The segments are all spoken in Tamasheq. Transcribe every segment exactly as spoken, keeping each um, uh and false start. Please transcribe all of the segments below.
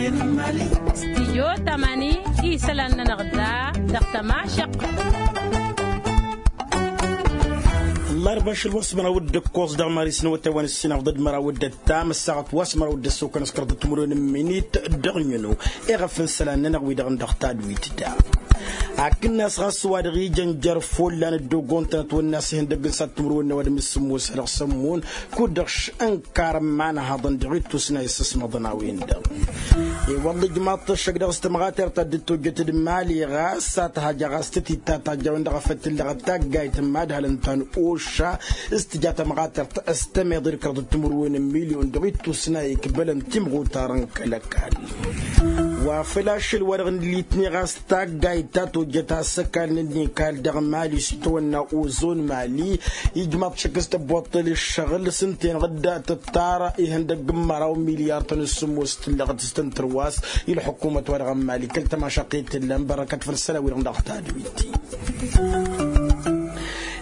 Stijyo tamani isălan-nănăɣ da dăɣ-tămašăqqăt. Ǝllarba ašăl wa s-măraw d-ǝkkoẓ dăɣ-mari s-năwătay wa n-ǝssinăɣ ḍǝd măraw d-ăttam ăssaɣăt wa s-măraw d-ăssokăn s-kăraḍăt timǝrwen n-iminit dăɣ-nǝnnu. Iɣăf n-isălan-nănăɣ wi-dăɣ n-dăɣ tadwit da. Akǝnnas ɣas ăwadǝɣ ijăn jer-follan dd-ogontăn ătwănna s-ihăndăgg n-sat timǝrwen n-ăwadǝm d-sǝmmos a dăɣ-sămmun kud-dăɣ š-ǝnkar ămmanhăḍăn dăɣ-ittus n-a isǝsmăḍăn a-wen-dăɣ. I-wălla ijmaḍ-t ăššăk dăɣ-s tămɣatert ta dd-tojjăt d-mali ɣas a tăhăjja ɣas tăt-ittatajj a-wen-dăɣ a făl tǝllăɣăt taggayt n-imadhălăn ta n-oša s-tǝja tămɣatert s-tămeḍe d-kăraḍăt timǝrwen n-milyon dăɣ-ittus n-a ikbălăn timɣutar n-kăl-ăkall. Wa făl ašăl-wa-dăɣ n-litni ɣas taggayt ta tojjăt a-s ăkall n-ănnikal dăɣ-mali s-itawănna ozon mali. Ijmaḍ šăkk s-tăbboṭṭel ǝššăɣǝl s-ǝnta-enăɣ dd-tǝttar ihăndăgg n-măraw milyar-tăn s-sǝmmos tǝllăɣăt s-tăn-tărwas. I-ălḥukumăt-wa-dăɣ n-mali kăl-tămašăqqet tǝllan bărăkăt făll-isălan-wi-dăɣ n-dăɣ tadwit.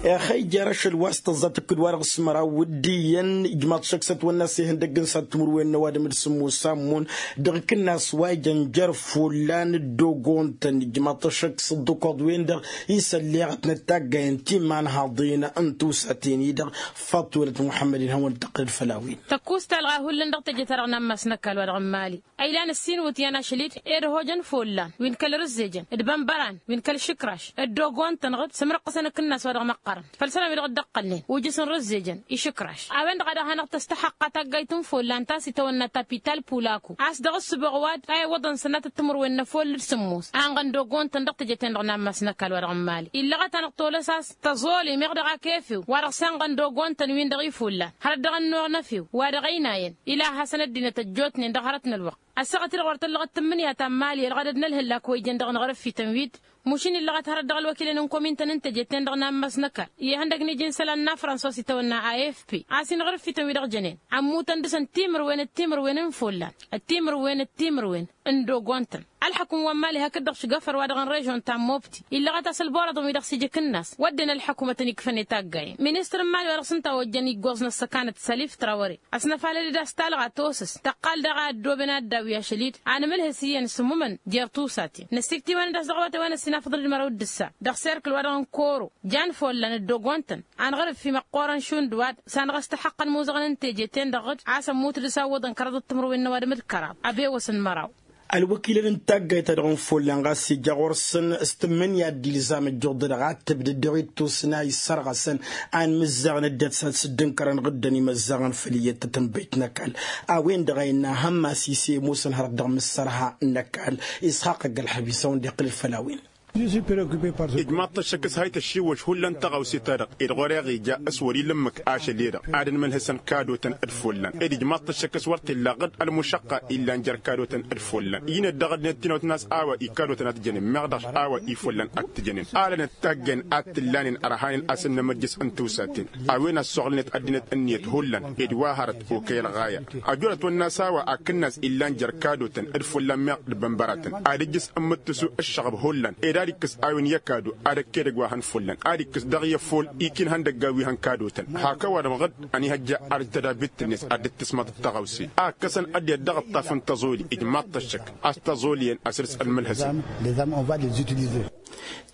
Ixăyjer ašăl wa s-tăẓẓa tǝkkǝd-wa-dăɣ s-măraw wǝddiyyăn ijmaḍ šăkk s-ătwănna s-ihăndăgg n-sat timǝrwen n-ăwadǝm d-sǝmmos s-ammǝn dăɣ-ikǝnnas wa ijăn jer-follan dd-ogontăn ijmaḍ-t ăššăk s-ǝḍḍǝkoḍ-wen-dăɣ isălleɣătnăt taggayen ti imanhaḍen n-tiwsaten-i-dăɣ. Faḍt-welăt muḥămmăd-in hawăn-dd-tăqqǝlăd făll-a-wen. Tăkkuẓt talɣa hullan dăɣ-teje-ta-dăɣ n-ammas n-ăkall wa dăɣ-n mali a ilan ǝssin iwǝtyan ašăl-dd ed ăhojăn follan wi n-kăl-rǝzzejăn d-bănbăran wi n-kăl-išǝkraš dd-ogontăn-dăɣ-dd sǝmrăqqǝsăn akǝnnas wa dăɣ-măqqărăn. Făll-isălan-wi-dăɣ dd-ăqqălnen ujǝs n-rǝzzejăn išǝkraš a-wen-dăɣ a dăɣ-hanăɣ-tăstăxăqqa taggayt n-follan ta s-itawănna tapital pulaku a-s dăɣ-ǝssǝboɣ ăwadǝm ta iwwăḍăn sănatăt timǝrwen n-efol d-sǝmmos a ănɣăn d-ogontăn dăɣ-teje-ten-dăɣ n-ammas n-ăkall wa dăɣ-n mali illăɣăt-anăɣ tolăs a-s tăẓoli meɣ dăɣ-ak efew wa dăɣ-s ănɣăn d-ogontăn-win-dăɣ ifullan hărăt dăɣ-ănnuɣ n-efew wa dăɣ-ăynayăn. Ila ad-hasăn ăddinăt ăjjootnen dăɣ-hărăt n-ălwăqq ăssaɣăt-i-dăɣ wăr tăllăɣăt tǝmmǝnǝya ta n-mali ălɣădăd n-ălhǝllak wa ijăn dăɣ-inɣărăffităn wi-dd. Mušin illăɣăt hărăt dăɣ-ălwăkilăn n-komintăn n-teje-ten-dăɣ n-ammas n-ăkall i-ihăndăgg n-iji n-isălan n-afrănsa wa s-itawănna a f p a-s inɣărăffităn wi-dăɣ jănen ămmutăn dăɣ-săn timǝrwen d-timǝrwen n-ifullan d-timǝrwen d-timǝrwen n-dd-ogontăn. Ălḥăkum wa n-mali hakd-dăɣ šgăfăr wa dăɣ-n režon ta n-mobti illăɣăt a-s ălborăḍăn wi-dăɣ s-ija akǝnnas wădden ălḥăkum ad-tăn-ikfăn i-taggayăn ministăr n-mali wa dăɣ-s ǝnta a ojjăn iggoẓ n-ăssăkanăt sălif trawăre. Ăsnăfalăd-dd a-s talɣa tosǝs tăqqal daɣ a ăddooben ad-dd-awǝy ašăl-i-dd anmǝlhǝs iyyăn s-ǝmmumăn jer-tusaten năssikt'-iwăn-dd a-s dăɣ-awătay wa n-ăssinafăḍăn d-măraw d-ǝssa dăɣ-serkǝl wa dăɣ-n koro. Jan follan dd-ogontăn anɣărǝf i-măqqoorăn šund wa-dd s-anɣăs tăxăqqăn imuzăɣăn n-teje-ten-dăɣ d-a-s ămmut dăɣ-s a ǝwwăḍăn kăraḍăt timǝrwen n-ăwadǝm d-kăraḍ. Abe-wăsăn măraw. Ălwăkilăn n-taggayt-ta-dăɣ n-follan ɣas ija ɣur-săn s-tǝmmǝnǝya d-ilzam ăjjuḍ-dăɣ ad-tǝbdǝd dăɣ-ittus n-a issărɣăsăn anmǝzzaɣăn ăddinăt s-ad-sǝddǝnkărăn ɣǝddăn imăzzaɣăn făll-iyyăt tătănbăyt n-ăkall. A-wen-dăɣ a innă hamas ise ămoosăn hărăt dăɣ-imǝssărha n-ăkall. Isxaqq ăgg-ălxăb-i s-a-wen-dd-iqqǝlăd făll-a-wen. Ijmaḍ-t ăššăk s-ha-ităššiwwăš hullan taɣawse-ta-dăɣ ed ɣur-e-ɣ ija s-wăr-ila ǝmmǝk ašăl-e-dăɣ ad-ănmălhǝsăn kadotăn d-follan ed ijmaḍ-t ăššăk s-wăr t-illa ɣǝd ălmušăqqa illan jer-kadotăn d-follan. Inăt dăɣ-ăddinăt tinăwăt n-a-s a-wa i-kadotăn ad-t-jănen meɣ dăɣ-a-wa ifullan ad-t-jănen alănăt taggen ad-t-ǝllanen ărhanen asǝnnăm ăjjǝs n-tiwsaten. A-wen ăssoɣlănet ăddinăt ǝnniyăt hullan ed wa hărăt okăy ălɣaya. Ăjorăt wănna s-a-wa akǝnnas illan jer-kadotăn d-follan meɣ d-bănbăratăn ad-ǝjjǝs n-imǝttǝsu ǝššăɣăb hullan ed ad-ikkǝs a-wen i-ăkadu ad-ăkk edăgg wa hăn follan ad-ikkǝs dăɣ-i ăffol. Ikin ihăndăgga wi hăn kadotăn hak ăwadǝm ɣǝd ănihăjja arǝj tădabit-net ad-dd-tǝsmăḍ d-taɣăwse a ǝkkăsăn ăddinăt dăɣ-ǝṭṭaf n-tăẓoli. Ijmaḍ-t ăššăk a-s tăẓoliyăn asǝrs ălmǝlhăsăn.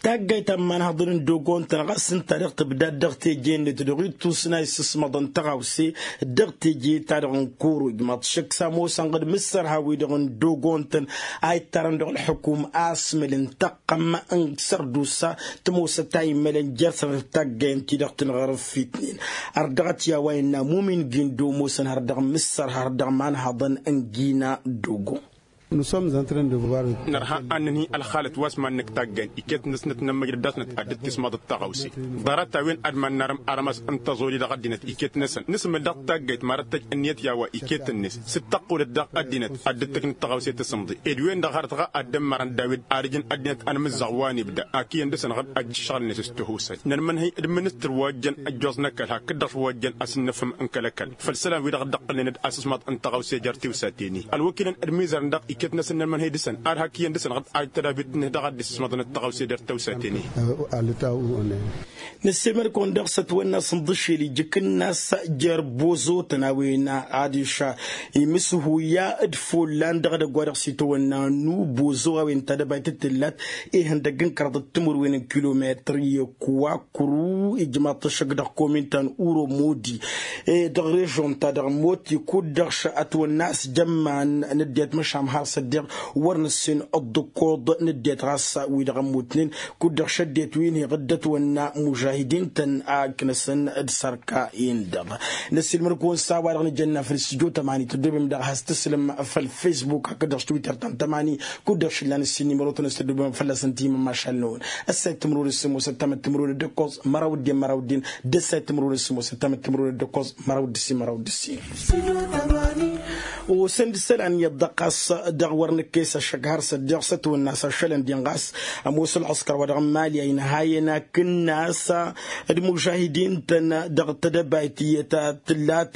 Taggayt ta n-imanhăḍăn n-dd-ogontăn ɣas ǝnta-dăɣ tǝbdad dăɣ-teje-net dăɣ-ittus n-a issǝsmăḍăn taɣawse dăɣ-teje-ta-dăɣ n-koro ijmaḍ-t ăššăk s-ămoosăn ɣǝd mǝssărha-wi-dăɣ n-dd-ogontăn a ittarăn dăɣ-ălḥukum asmǝl n-tăqqăm n-sărdusa. Tămoosăt a immălăn jer-sănătăt taggayen-ti-dăɣ tǝnɣărăffitnen ărdăɣăt i-a-wa innă mumin gindo ămoosăn har dăɣ-mǝssărha har dăɣ-imanhăḍăn n-gina dogo. Nărha ad-nǝnhǝy ălxalăt wa s-mannăk taggayen iket-năsnăt n-ămmăjrăd dăɣ-snăt ad-dd-tismaḍăt taɣăwse. Ḍarăt-a-wen ad-mannarăm arămas n-tăẓoli dăɣ-ăddinăt iket-năsăn nǝsmǝl dăɣ-taggayt ma răttăj ǝnniyăt i-a-wa iket-net s-dd-tăqqulăt dăɣ-ăddinăt ad-dd-tǝknǝd taɣăwse tasǝmḍe ed wen-dăɣ hărăt ɣa ad-dd-ămmărăn dawid arǝj n-ăddinăt anmǝzzaɣ wa n-ibda. Ak iyyăn dăr-săn ɣǝd ăjjǝššăɣǝl-net s-tihusay nărmǝnhǝy d-ministăr wa ojjăn ăjjoẓ n-ăkall hakd-dăɣ wa ojjăn asǝnnăfăm n-kăl-ăkall făll-isălan-wi-dăɣ dd-ǝqqǝlnen d-asǝsmaḍ n-taɣăwse jer-tiwsaten-i ălwăkilăn d-imizărăn dăɣ-i. ket-năsăn n-ălmănhăy dăɣ-săn ad-hak iyyăn dăɣ-săn ad-tădabit-net dăɣ-ad-dd-isǝsmăḍăn d-taɣawse d-ăttăwsa tene. Ălătawăn. Năssiilmăd-kăwăn daɣ s-ătwănna s-inḍǝššel ijǝkǝnna s-jer-bozotăn a-wen adiš imǝshuya d-follan dăɣ-edăgg wa dăɣ-s itawănna n-ubozo a-wen tadăbayt d-tǝllat ihăndăgg n-kăraḍăt timǝrwen n-kilometri i-kuwakru ijmaḍ-t ăššăk dăɣ-komin ta n-uromodi dăɣ-režon ta dăɣ-moti kud-dăɣ s-ătwănna s-jămman n-ăddinăt măšan har s-ăddiɣ wăr năssin ăḍḍǝkkoḍ n-ăddinăt ɣas wi-dăɣ ămmutnen kud-dăɣ šăddinăt wi n-hi-ɣǝddăt wănna mužahidin-tăn a ǝknăsăn d-sărka-in-dăɣ. Năssiilmăd-kăwăn s-a-wa-dăɣ nǝjănna făll-s tǝjjo tămani tăddobem dăɣ-has-tǝslǝm făll-fesbuk hakd-dăɣ s-twitter ta n-tămani kud-dăɣ šǝllan ǝssin nimăro-tăn s-tăddobem fălla-săn timǝmmašal-năwăn. Ăssayăt timǝrwen s-sǝmmos ăttamăt timǝrwen d-ǝkkoẓ măraw d-en măraw d-en d-ăssayăt timǝrwen s-sǝmmos ăttamăt timǝrwen d-ǝkkoẓ măraw d-ǝssin măraw d-ǝssin. Osăn-dd isălan iyyăḍ dăɣ-ɣas dăɣ-wăr nǝkkes ăššăk har s-ăddiɣ s-ătwănna s-ašălăn din ɣas ămoos ălɣǝskăr wa dăɣ-n mali a inhayăn akǝnnas d-imužahidin-tăn dăɣ-tedăbayt iyyăt a tǝllat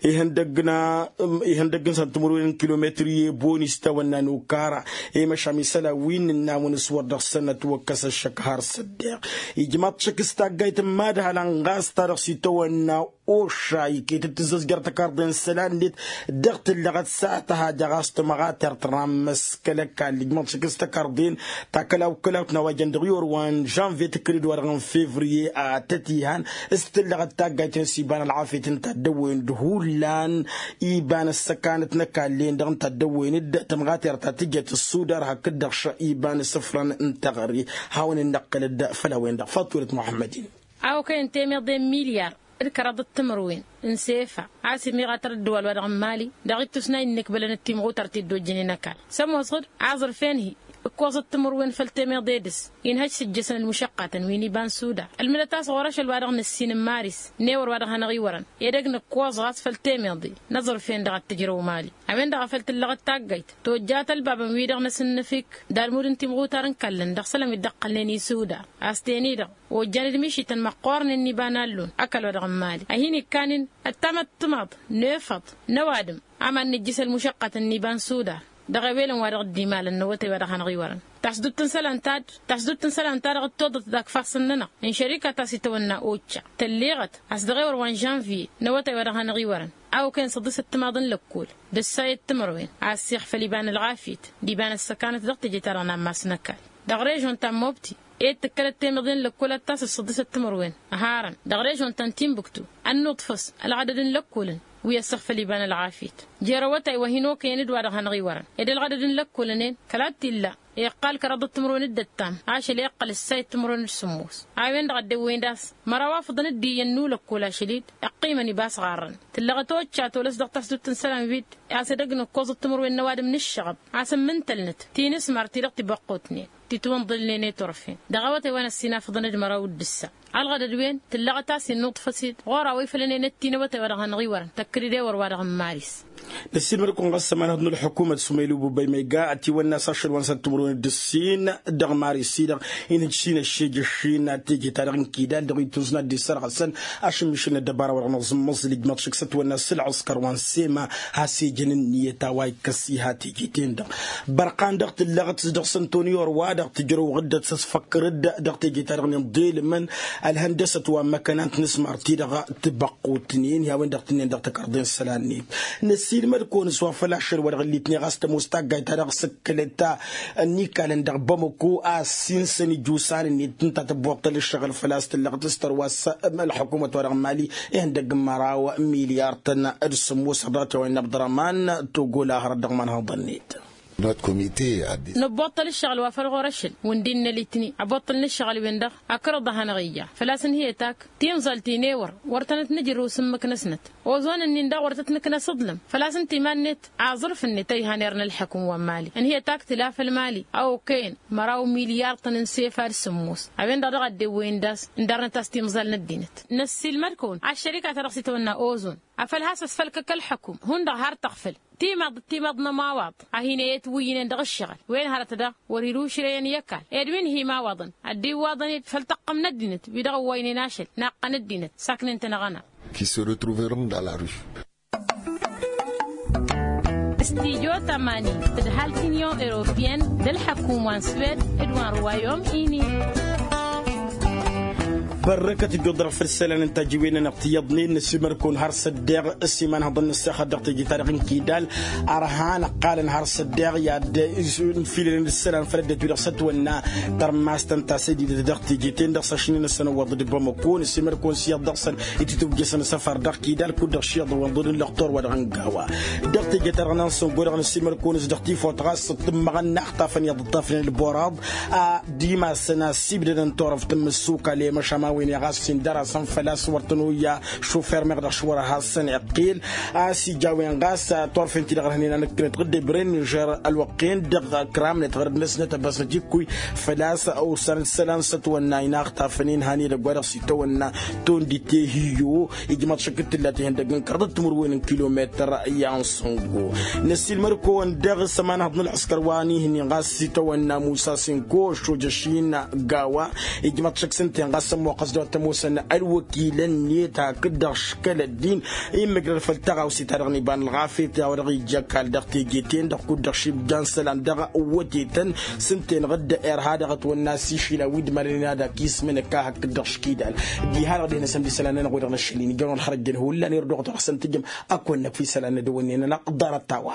ihăndăgg n-a ihăndăgg n-săn timǝrwen n-kilometri i-boni s-tawănna n-okara i-măšan isălan wi n-innawăn s-wăr dăɣ-săn ătwăkkăs ăššăk har s-ăddiɣ. Ijmaḍ-t šăkk s-taggayt n-imadhălăn ɣas ta dăɣ-s itawănna oša iket-dd tǝzzăzjăr tăkarḍe n-isălan-net dăɣ-tǝllăɣăt s-ad-tăhaja ɣas tămɣatert ramăs kăl-ăkall ijmaḍ-t šăkk s-tăkarḍe-en ta kălaw-kălaw tǝnawajăn dăɣ-iwăr wa n-žănvye tǝkkǝlăd wa dăɣ-n fevriye a tăt-ihan s-tǝllăɣăt taggayt-en s-iba n-ălɣafyăt n-taddăwwen d-hullan iba n-ăssăkanăt n-ăkall-en-dăɣ n-taddăwwen d-tămɣatert ta tǝjăt ăssudar hakd-dăɣ iba n-asǝfrăn n-teɣăre. Hawăn-in-năqqǝlăd făll-a-wen-dăɣ faḍt welăt muḥămmăd-in. A okăyăn temăḍe n-milyar d-kăraḍăt timǝrwen n-sefa a-s imiɣatăr ăddăwal wa dăɣ-n mali dăɣ-ittus n-a innăkbălăn d-timɣutărt i-dd-ojjănen ăkall s-ămoosăɣ-dd aẓrǝf-en-hi ǝkkoẓăt timǝrwen făll-temăḍe dăɣ-s inhăj s-ǝjjăsăn ălmušăqqatăn wi n-iba n-suda. Ălmǝdăt a-s ɣur-ašăl wa dăɣ-nǝssin n-maris n-ewăr wa dăɣ-hanăɣ-iwărăn edăgg nǝkkoẓ ɣas făll-temăḍe n-aẓrǝf-en-dăɣ ad-t-ǝjrăw mali. A-wen-dăɣ a făl tǝllăɣăt taggayt tojjat ălbabăn-wi-dăɣ năsǝnnǝfik d-almud n-timɣutar n-kallăn dăɣ-isălan wi dd-ăqqălnen i-suda a-s ten-i-dăɣ ojjan d-mišităn măqqoornen n-iba n-allun ăkall wa dăɣ-n mali a hin-ikkanen ăttamăt timaḍ n-efăḍ n-ăwadǝm aman nǝjjǝs ălmušăqqatăn n-iba n-suda. Dăɣ-ewelăn wa dăɣ-dd-imalăn n-awătay wa dăɣ-hanăɣ-iwărăn tasdut n-isălan ta-dd tasdut n-isălan ta dăɣ-dd-toḍăt d-akfassăn-nănăɣ n-šărika ta s-itawănna occa tălleɣăt a-s dăɣ-ewăr wa n-žănviye n-awătay wa dăɣ-hanăɣ-iwărăn a okăyăn săḍisăt timaḍ n-lăkkol d-ǝssayăt timărwen a ăssiixfăl iba n-ălɣafyăt d-iba n-ăssăkanăt dăɣ-teje-ta-dăɣ n-ammas n-ăkall. Dăɣ-režon ta n-mobti ed tǝkkălăt temăḍe n-lăkkol ad-tasǝs săḍisăt timărwen ăharăn dăɣ-režon ta n-timbuktu ănnuḍfăs ălɣădăd n-lăkkolăn wi ăssăɣfăl iba n-ălɣafyăt jer-awătay wa hin-okăyăn d-wa-dăɣ hanăɣ-iwărăn ed ălɣădăd n-lăkkolăn-en kăla t-illa iqqal kăraḍăt timǝrwen d-ăttam ašăl iqqăl ǝssayăt timǝrwen d-sǝmmos. A-wen-dăɣ a dd-ewwăyăn d-a-s măraw afǝḍăn d-iyyăn n-ulăkkol ašăl-dd iqqimăn iba s-ɣarrăn tǝllăɣăt occa tolăs dăɣ-tasdut n-isălan wi-dd a-s edăgg n-ǝkkoẓăt timǝrwen n-ăwadǝm n-ǝššăɣăb a-s ǝmmǝntălnăt tinǝsmar-ti-dăɣ tibăqqutnen titwǝnḍǝlnen i-turfen. Dăɣ-awătay wa n-ăssinafăḍăn d-măraw d-ǝssa ălɣădăd-wen tǝllăɣăt a-s innuḍfăs-dd ɣur-a-wa ifălănen ăttin awătay wa dăɣ-hanăɣ-iwărăn tăkkăd-dd ewăr wa dăɣ-n maris. Năssiilmăd-kăwăn ɣas ămanhăḍ n-ălḥukumăt sumăylu bubăy ma iga ătiwănna s-ašăl wa n-săr timǝrwen d-ǝssin dăɣ-maris-i-dăɣ inhǝj s-inăššejăššin teje-ta-dăɣ n-kidal dăɣ-ittus n-ad-dd-issărɣăsăn ašǝmmišǝl n-ăddăbara wa dăɣ-năẓǝmmăẓ lijmăḍ šǝk s-ătwănna s-ǝlɣǝskăr wa n-sema has-ejăn ǝnniyăt a-wa ikkăs iha teje-ten-dăɣ. Bărqan dăɣ-tǝllăɣăt s-dăɣ-săn toni orwa dăɣ-tǝjrăw ɣǝddăt s-ăsfăkkăr-dd dăɣ-teje-ta-dăɣ n-inḍelǝmăn ălhăndăsăt wa n-măkăna n-tinǝsmar-ti-dăɣ tibăqqutnen i-a-wen-dăɣ tǝnnin dăɣ-takărḍe n-isălan-net. Năssiilmăd-kăwăn s-wa făl ašăl wa dăɣ-ǝllitnen ɣas tămoos taggayt-ta-dăɣ s-ǝkkălăt ănnikalăn dăɣ-bamăko a ăssinsăn ijusan-net ǝnta tǝbbuṭṭăl ǝššăɣǝl făl-a-s tǝllăɣăt s-tărwa s-ălḥukumăt wa dăɣ-mali ihăndăgg n-măraw milyar-tăn d-sǝmmos ăḍrăt i-wa innă abdărăman togola hărăt dăɣ-imanhăḍăn-net. Năbbuṭṭăl ǝššăɣǝl wa făl ɣur-ašăl wǝndin n-ălitni ăbbuṭṭălăn ǝššăɣǝl-wen-dăɣ akăraḍ a hanăɣ-ija făl-a-s ǝnhǝyăt ak tinẓalt-i n-ewăr wăr tănăt-nǝjrǝw s-ǝmmǝk-năsnăt. Oẓon-ǝnnin daɣ wăr tăt-nǝknăs aḍlǝm făl-a-s ǝnta iman-net aẓrǝf-net a ihan irnă ălḥăkǝm wa n-mali ǝnhǝyăt ak tǝla făll-mali a okăyăn măraw milyar-tăn n-sefa d-sǝmmos. A-wen-dăɣ daɣ a dd-ewwăyăn d-a-s ǝndarnăt a-s timẓal n-ăddinăt. Năssiilmăd-kăwăn aššărika ta dăɣ-s itawănna oẓon afăl has-ăsfălkăk ălḥăkum hundăɣ har tăɣfăl timaḍ d-timaḍ n-ămawaḍ a hin-e-etwǝyyǝnen dăɣ-ǝššăɣǝl. Wen hărăt daɣ wăr-ila ušrăyăn i-ăkall ed wi n-hi-imawaḍăn ăddiwwaḍăn-dd făll-tăqqăm n-ăddinăt wi dăɣ-ăwwaynen ašăl naqqăn ăddinăt saknen-tăn aɣăna. Qui se retrouveront dans la rue. Stijo tămani d-ǝdhal t-inyon europiyăn d-ălḥăkum wa n-swed d-wa n-ruwayom-ini. Bărrăkăt dd-oḍrăɣ făll-isălan n-tajǝwen-nănăɣ tiyyăḍnen n-asimărkon har s-ăddeɣ ăsiman hăḍăn n-ăssexăt dăɣ-teje-ta-dăɣ n-kidal. Ărhan ăqqalăn har s-ăddeɣ i-ad-nfilălăn isălan făll-ăddinăt wi-dăɣ s-ătwănna tărmast ta n-tasădidăt dăɣ-teje-ten-dăɣ s-ašnen-năsăn ăwwăḍ d-bamăko n-asimărkon s-iyyăḍ dăɣ-săn itǝtwǝjjăsăn asăfar dăɣ-kidal kud-dăɣ šiḍăwăn ḍădăn lăxtor wa dăɣ-n gawa. Dăɣ-teje-ta-dăɣ n-ansăngo-dăɣ n-asimărkon s-dăɣ tifawt ɣas ǝṭṭǝmmăɣăn n-aɣtafăn iyyăḍ ǝṭṭafnen ălboraḍ a d-imassăn a ăssibdădăn turăft n-imǝssukal i-măšan ma-wen i-ɣas-sin dăr-asăn făl-a-s wăr tăn-oyya šufer meɣ dăɣ-s wăr-hasăn-iqqel. A-s ija a-wen ɣas turfen-ti-dăɣ ărhănen anăkkănăt ɣǝdde bren nižer ălwăqq-en-dăɣ kramnăt ɣărăd-năsnăt ăbasnăt ikkăy făl-a-s ursanăt isălan s-ătwănna inaɣtafăn-in han edăgg wa dăɣ-s itawănna tondite hi-iyo. Ijmaḍ šăkk d-tǝllat ihăndăgg n-kăraḍăt timǝrwen n-kilometăr i-ansăngo n-ăssiilmăr-kăwăn dăɣ-s ămanhăḍ n-ălɣǝskăr wa n-ihǝnnin ɣas s-itawănna musa senko ăššojăš-in gawa. Ijmaḍ šăkk s-ǝnta-en ɣas ămmoqqăs dăɣ-tămoosăn ălwăkilăn-net hakd-dăɣ škăl ăddin immǝjrăd făll-tăɣawse-ta-dăɣ n-iba n-ălɣafyăt a-wa dăɣ-ija ăkall dăɣ-teje-ten-dăɣ kud-dăɣ šibjan isălan dăɣ-wătetăn. S-ǝnta-en ɣǝdda irha dăɣ-ătwănna s-išila wi dd-mărănen ad-ak ismǝnăk a hakd-dăɣ škidal. Diha-dăɣ deh-năsăn d-isălan-nănăɣ wi-dăɣ n-ašăl-in ija a-wen ălxărăjjăn hullan irduɣ-tăɣ s-ăntǝjăm. Ăkk wănnăk fi isălan n-ad-ăwănnen-nănăɣ ḍarăt-a-wa.